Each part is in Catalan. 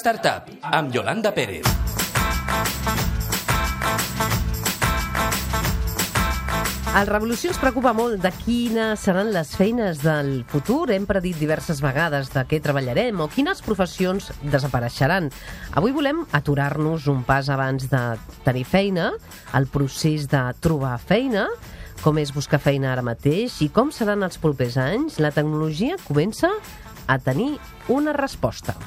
Startup, amb Yolanda Pérez. El Revolució ens preocupa molt de quines seran les feines del futur. Hem predit diverses vegades de què treballarem o quines professions desapareixeran. Avui volem aturar-nos un pas abans de tenir feina, el procés de trobar feina, com és buscar feina ara mateix i com seran els propers anys. La tecnologia comença a tenir una resposta.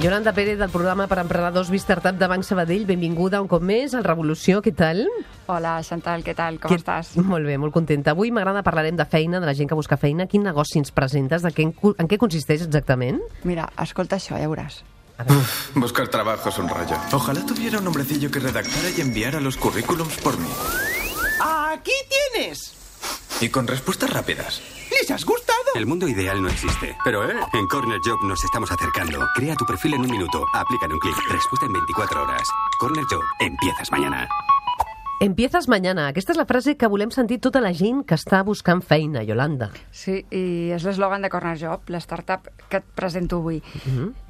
Yolanda Pérez, del programa per emprenedors Startup de Banc Sabadell. Benvinguda un cop més al Revolució. Què tal? Hola, Chantal, què tal? Com estàs? Molt bé, molt contenta. Avui m'agrada parlarem de feina, de la gent que busca feina. Quin negoci ens presentes? En què consisteix exactament? Mira, escolta això, ja veuràs. Buscar trabajo es un rollo. Ojalá tuviera un hombrecillo que redactara y enviara los currículums por mí. ¡Aquí tienes! Y con respuestas rápidas. ¿Les has gustado? El mundo ideal no existe, pero en Corner Job nos estamos acercando. Crea tu perfil en un minuto, aplica en un clic, respuesta en 24 horas. Corner Job, empiezas mañana. Empiezas mañana. Aquesta és la frase que volem sentir tota la gent que està buscant feina, Yolanda. Sí, i és l'eslògan de Corner Job, l'startup que et presento avui.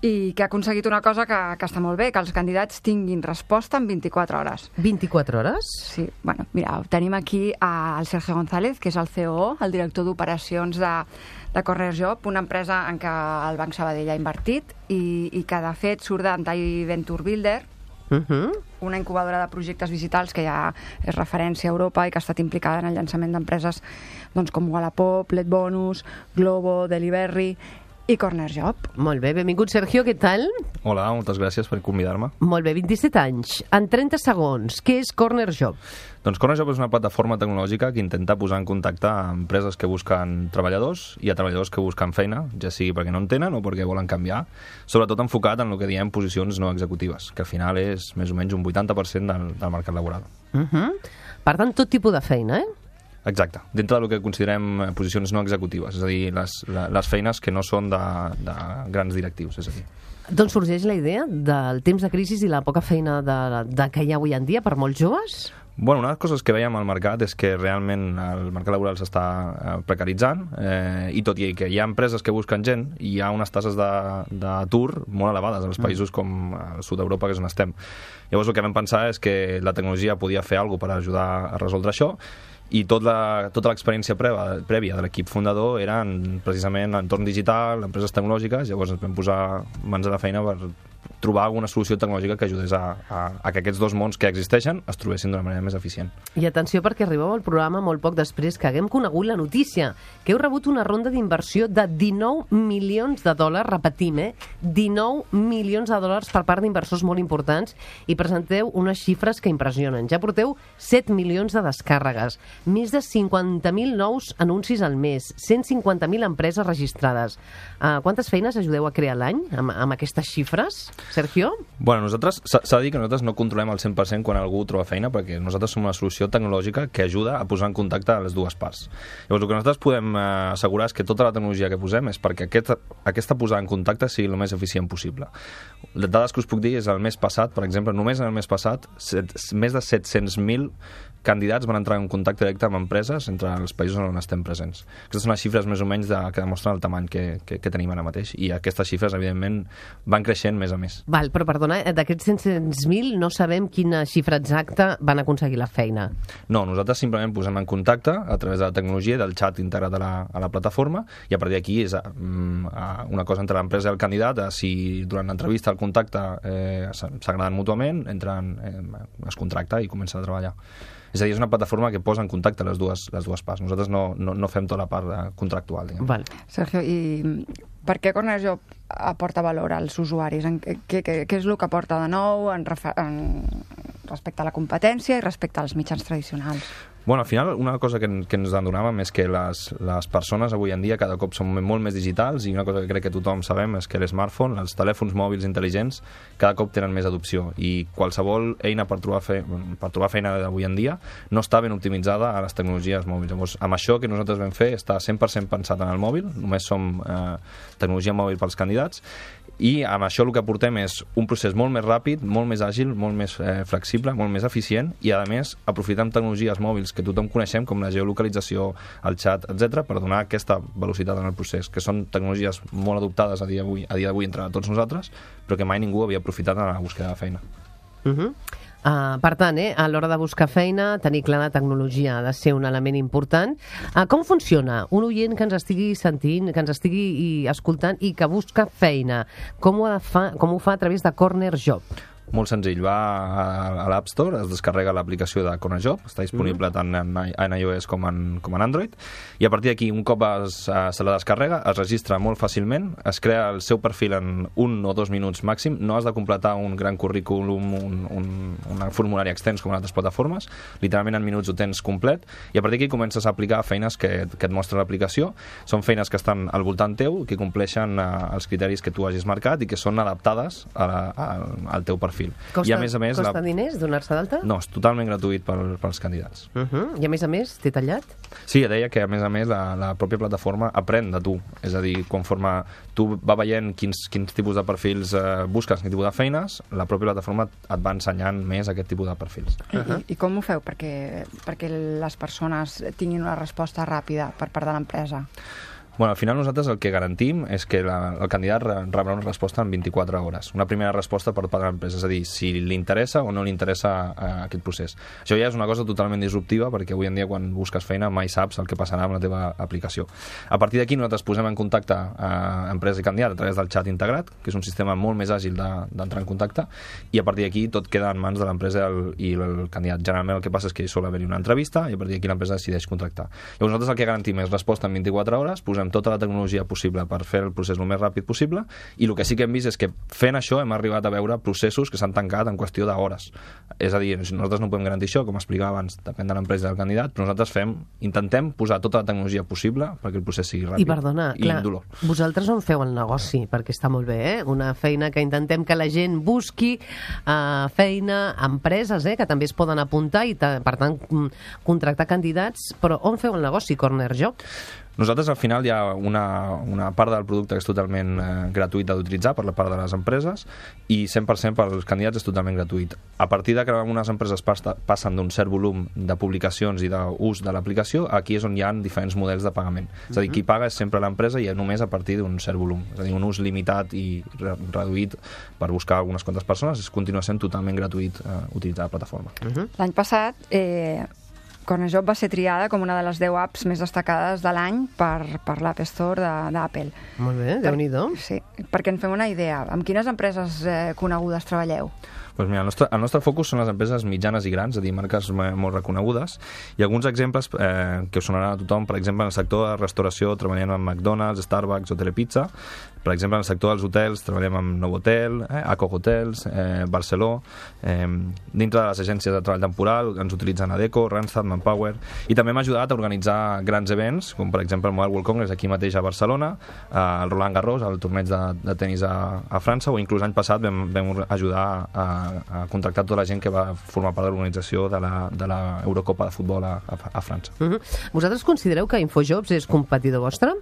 I que ha aconseguit una cosa que està molt bé, que els candidats tinguin resposta en 24 hores. 24 hores? Sí, bueno, mira, tenim aquí el Sergio González, que és el COO, el director d'operacions de Corner Job, una empresa en què el Banc Sabadell ha invertit i que, de fet, surt d'Antai Venture Builder, una incubadora de projectes digitals que ja és referència a Europa i que ha estat implicada en el llançament d'empreses com Wallapop, Letbonus, Globo, Delivery i Corner Job. Molt bé, benvingut, Sergio, què tal? Hola, moltes gràcies per convidar-me. Molt bé, 27 anys. En 30 segons, què és Corner Job? Doncs Corner Job és una plataforma tecnològica que intenta posar en contacte a empreses que busquen treballadors i a treballadors que busquen feina, ja sigui perquè no en tenen o perquè volen canviar, sobretot enfocat en el que diem posicions no executives, que al final és més o menys un 80% del mercat laboral. Per tant, tot tipus de feina, Exacte, dintre del que considerem posicions no executives, és a dir, les feines que no són de grans directius, és a dir. D'on sorgeix la idea del temps de crisi i la poca feina que hi ha avui en dia per molts joves? Bueno, una de les coses que veiem al mercat és que realment el mercat laboral s'està precaritzant i tot i que hi ha empreses que busquen gent, hi ha unes tasses d'atur molt elevades als països com el sud d'Europa, que és on estem. Llavors el que vam pensar és que la tecnologia podia fer alguna cosa per ajudar a resoldre això i tota l'experiència prèvia de l'equip fundador era precisament entorn digital, empreses tecnològiques, llavors ens vam posar mans a la feina per trobar alguna solució tecnològica que ajudés a que aquests dos mons que existeixen es trobessin d'una manera més eficient. I atenció, perquè arribeu al programa molt poc després que haguem conegut la notícia, que heu rebut una ronda d'inversió de $19 milions, repetim, $19 milions per part d'inversors molt importants i presenteu unes xifres que impressionen. Ja porteu 7 milions de descàrregues, més de 50.000 nous anuncis al mes, 150.000 empreses registrades. Quantes feines ajudeu a crear l'any amb aquestes xifres? Sergio? Bueno, s'ha de dir que nosaltres no controlem al 100% quan algú troba feina, perquè nosaltres som una solució tecnològica que ajuda a posar en contacte a les dues parts. Llavors, el que nosaltres podem assegurar és que tota la tecnologia que posem és perquè aquesta posada en contacte sigui el més eficient possible. Les dades que us puc dir és el mes passat, per exemple, només en el mes passat, més de 700.000 candidats van entrar en contacte directe amb empreses entre els països on estem presents. Aquestes són les xifres més o menys que demostren el tamany que tenim ara mateix i aquestes xifres, evidentment, van creixent mes a mes. Val, però perdona, d'aquests 700.000 no sabem quina xifra exacta van aconseguir la feina. No, nosaltres simplement posem en contacte a través de la tecnologia del xat integrat a la plataforma i a partir d'aquí és una cosa entre l'empresa i el candidat, si durant l'entrevista el contacte s'agraden mútuament, es contracta i comença a treballar. És a dir, és una plataforma que posa en contacte les dues parts. Nosaltres no fem tota la part contractual. Val. Sergio, i per què Corner Job aporta valor als usuaris? Què és el que aporta de nou respecte a la competència i respecte als mitjans tradicionals? Bueno, al final, una cosa que ens adonàvem és que les persones avui en dia cada cop són molt més digitals, i una cosa que crec que tothom sabem és que l'smartphone, els telèfons mòbils intel·ligents, cada cop tenen més adopció, i qualsevol eina per trobar feina d'avui en dia no està ben optimitzada a les tecnologies mòbils. Llavors, amb això que nosaltres vam fer està 100% pensat en el mòbil, només som tecnologia mòbil pels candidats, i amb això el que aportem és un procés molt més ràpid, molt més àgil, molt més flexible, molt més eficient, i a més aprofitem tecnologies mòbils que tothom coneixem, com la geolocalització, el xat, etc., per donar aquesta velocitat en el procés, que són tecnologies molt adoptades a dia d'avui entre tots nosaltres, però que mai ningú havia aprofitat en la búsqueda de feina. Per tant, a l'hora de buscar feina, tenir clara la tecnologia ha de ser un element important. Com funciona un oient que ens estigui sentint, que ens estigui escoltant i que busca feina? Com ho fa a través de Corner Job? Molt senzill, va a l'App Store, es descarrega l'aplicació de Corner Job, està disponible tant en iOS com en Android, i a partir d'aquí, un cop se la descarrega, es registra molt fàcilment, es crea el seu perfil en 1 o 2 minuts màxim, no has de completar un gran currículum, un formulari extens com en altres plataformes, literalment en minuts ho tens complet, i a partir d'aquí comences a aplicar feines que et mostra l'aplicació. Són feines que estan al voltant teu, que compleixen els criteris que tu hagis marcat i que són adaptades al teu perfil. Costa diners donar-se d'alta? No, és totalment gratuït pels candidats. I a més, té tallat? Sí, deia que a més la pròpia plataforma aprèn de tu. És a dir, conforme tu va veient quins tipus de perfils busques, quin tipus de feines, la pròpia plataforma et va ensenyant més aquest tipus de perfils. I com ho feu perquè les persones tinguin una resposta ràpida per part de l'empresa? Bueno, al final nosaltres el que garantim és que el candidat rebrà una resposta en 24 hores. Una primera resposta per part de l'empresa, és a dir, si li interessa o no li interessa aquest procés. Això ja és una cosa totalment disruptiva, perquè avui en dia quan busques feina mai saps el que passarà amb la teva aplicació. A partir d'aquí nosaltres posem en contacte empresa i candidat a través del xat integrat, que és un sistema molt més àgil d'entrar en contacte, i a partir d'aquí tot queda en mans de l'empresa i el candidat. Generalment el que passa és que sol haver-hi una entrevista i a partir d'aquí l'empresa decideix contractar. Llavors nosaltres el que garantim és resposta en 24 hores, posem tota la tecnologia possible per fer el procés el més ràpid possible, i el que sí que hem vist és que fent això hem arribat a veure processos que s'han tancat en qüestió d'hores. És a dir, nosaltres no podem garantir això, com explicava abans, depèn de l'empresa i del candidat, però nosaltres intentem posar tota la tecnologia possible perquè el procés sigui ràpid. I perdona, clar, vosaltres on feu el negoci? Perquè està molt bé, una feina que intentem que la gent busqui feina, empreses, que també es poden apuntar i, per tant, contractar candidats, però on feu el negoci, Corner Job? Nosaltres, al final, hi ha una part del producte que és totalment gratuïta d'utilitzar per la part de les empreses i 100% per als candidats és totalment gratuït. A partir de que algunes empreses passen d'un cert volum de publicacions i d'ús de l'aplicació, aquí és on hi ha diferents models de pagament. És a dir, qui paga és sempre l'empresa i només a partir d'un cert volum. És a dir, un ús limitat i reduït per buscar algunes quantes persones continua sent totalment gratuït utilitzar la plataforma. L'any passat Corner Job va ser triada com una de les 10 apps més destacades de l'any per l'App Store d'Apple. Molt bé, Déu-n'hi-do. Sí, perquè en fem una idea. Amb quines empreses conegudes treballeu? Doncs mira, el nostre focus són les empreses mitjanes i grans, és a dir, marques molt reconegudes, i alguns exemples que us sonaran a tothom. Per exemple, en el sector de restauració treballem amb McDonald's, Starbucks o Telepizza. Per exemple, en el sector dels hotels treballem amb Novotel, Aco Hotels, Barceló. Dintre de les agències de treball temporal ens utilitzen Adecco, Randstad, Manpower, i també hem ajudat a organitzar grans events, com per exemple el Mobile World Congress aquí mateix a Barcelona, el Roland Garros, el torneig de tenis a França, o inclús l'any passat vam ajudar a contractar tota la gent que va formar part de l'organització de la Eurocopa de futbol a França. Vosaltres considereu que InfoJobs és competidor vostre?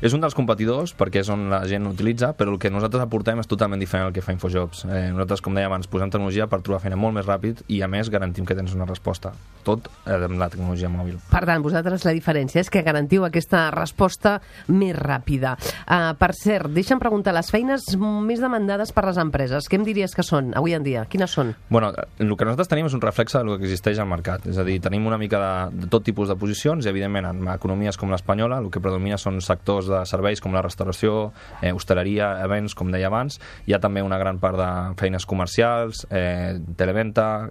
És un dels competidors perquè és on la gent utilitza, però el que nosaltres aportem és totalment diferent al que fa InfoJobs. Nosaltres, com deia abans, posem tecnologia per trobar feina molt més ràpid i, a més, garantim que tens una resposta. Tot amb la tecnologia mòbil. Per tant, vosaltres la diferència és que garantiu aquesta resposta més ràpida. Per cert, deixa'm preguntar, les feines més demandades per les empreses, què em diries que són avui en dia? Quines són? Bueno, el que nosaltres tenim és un reflexe del que existeix al mercat. És a dir, tenim una mica de tot tipus de posicions i, evidentment, en economies com l'espanyola, el que predomina són sectors sectors de serveis com la restauració, hostaleria, events, com deia abans. Hi ha també una gran part de feines comercials, televenta,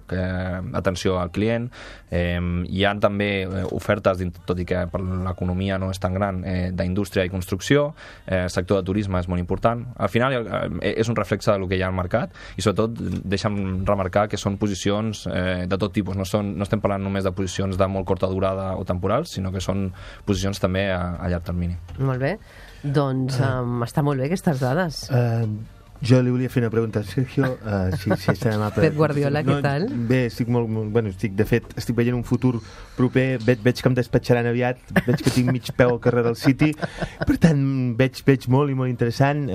atenció al client. Hi ha també ofertes, tot i que per l'economia no és tan gran, d'indústria i construcció. El sector de turisme és molt important. Al final és un reflexe del que hi ha al mercat i sobretot deixa'm remarcar que són posicions de tot tipus. No estem parlant només de posicions de molt curta durada o temporals, sinó que són posicions també a llarg termini. Molt bé. Doncs està molt bé aquestes dades. Jo li volia fer una pregunta a Sergio, si és tan amable. Pep Guardiola, què tal? Bé, estic de fet, estic veient un futur proper, veig que em despatxaran aviat, veig que tinc mig peu al carrer del City, per tant, veig molt i molt interessant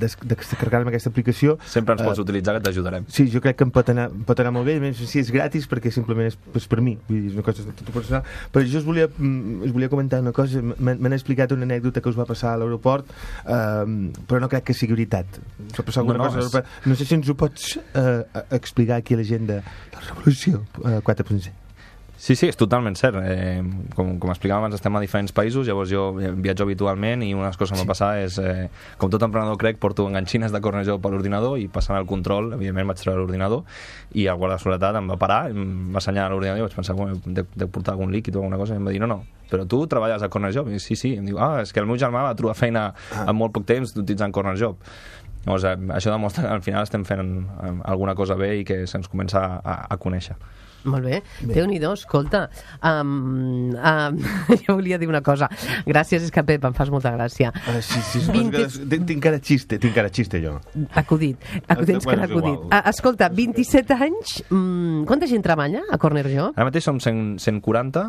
descarregar-me aquesta aplicació. Sempre ens pots utilitzar, que t'ajudarem. Sí, jo crec que em pot anar molt bé, a més, si és gratis, perquè simplement és per mi, vull dir, és una cosa de tot personal. Però jo us volia comentar una cosa, m'han explicat una anècdota que us va passar a l'aeroport, però no crec que sigui veritat. S'ha passat alguna cosa. No sé si ens ho pots explicar aquí a la gent de la Revolució 4.0. Sí, és totalment cert. Com explicàvem abans, estem a diferents països, llavors jo viatjo habitualment i una de les coses que em va passar és, com tot emprenedor crec, porto enganxines de Corner Job a l'ordinador i passant el control, evidentment vaig treure l'ordinador i el guarda de seguretat em va parar, em va assenyalar l'ordinador i vaig pensar, deu portar algun líquid o alguna cosa, i em va dir, no, però tu treballes a Corner Job? I sí, em diu, és que el meu germà va trobar feina en molt poc temps utilitzant Corner Job. Llavors, això demostra que al final estem fent alguna cosa bé i que se'ns comença a conèixer. Molt bé. Déu-n'hi-do, escolta. Jo volia dir una cosa. Gràcies, és que Pep, em fas molta gràcia. Sí, tinc cara xiste, jo. Acudit. Escolta, 27 anys, quanta gent treballa a Corner Job? Ara mateix som 140.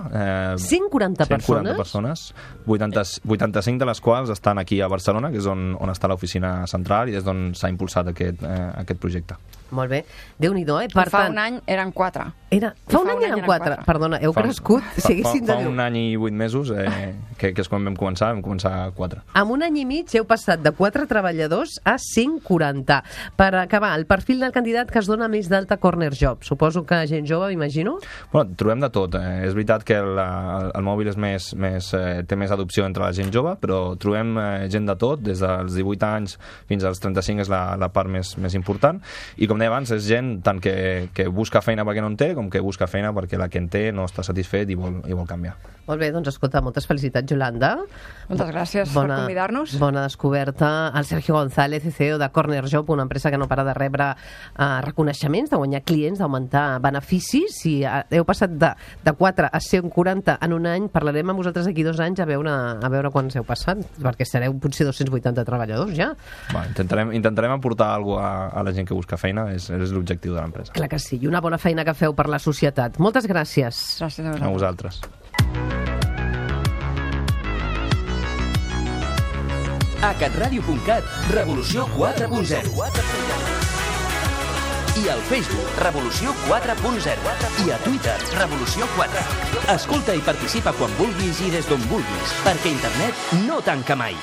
140 persones? 140 persones, 85 de les quals estan aquí a Barcelona, que és on està l'oficina central i des d'on s'ha impulsat aquest projecte. Molt bé. Déu-n'hi-do, Fa un any eren 4. Fa un any eren 4. Perdona, heu crescut? Fa un any i 8 mesos, que és quan vam començar 4. En un any i mig heu passat de 4 treballadors a 140. Per acabar, el perfil del candidat que es dona més d'alta Corner Job. Suposo que gent jove, m'imagino? Bueno, trobem de tot. És veritat que el mòbil té més adopció entre la gent jove, però trobem gent de tot, des dels 18 anys fins als 35 és la part més important. I com deia abans, és gent tant que busca feina perquè no en té, com que busca feina perquè la que en té no està satisfet i vol canviar. Molt bé, doncs escolta, moltes felicitats, Yolanda. Moltes gràcies per convidar-nos. Bona descoberta. El Sergio González, CEO de Corner Job, una empresa que no para de rebre reconeixements, de guanyar clients, d'augmentar beneficis. Si heu passat de 4 a 140 en un any, parlarem amb vosaltres d'aquí 2 anys a veure quants heu passat, perquè sereu potser 280 treballadors ja. Intentarem aportar alguna cosa a la gent que busca feina, és l'objectiu de l'empresa. Clar que sí, i una bona feina que feu per la societat. Moltes gràcies. Gràcies a vosaltres. A catradio.cat, Revolució 4.0. I al Facebook, Revolució 4.0. I a Twitter, Revolució 4. Escolta i participa quan vulguis i des d'on vulguis, perquè internet no tanca mai.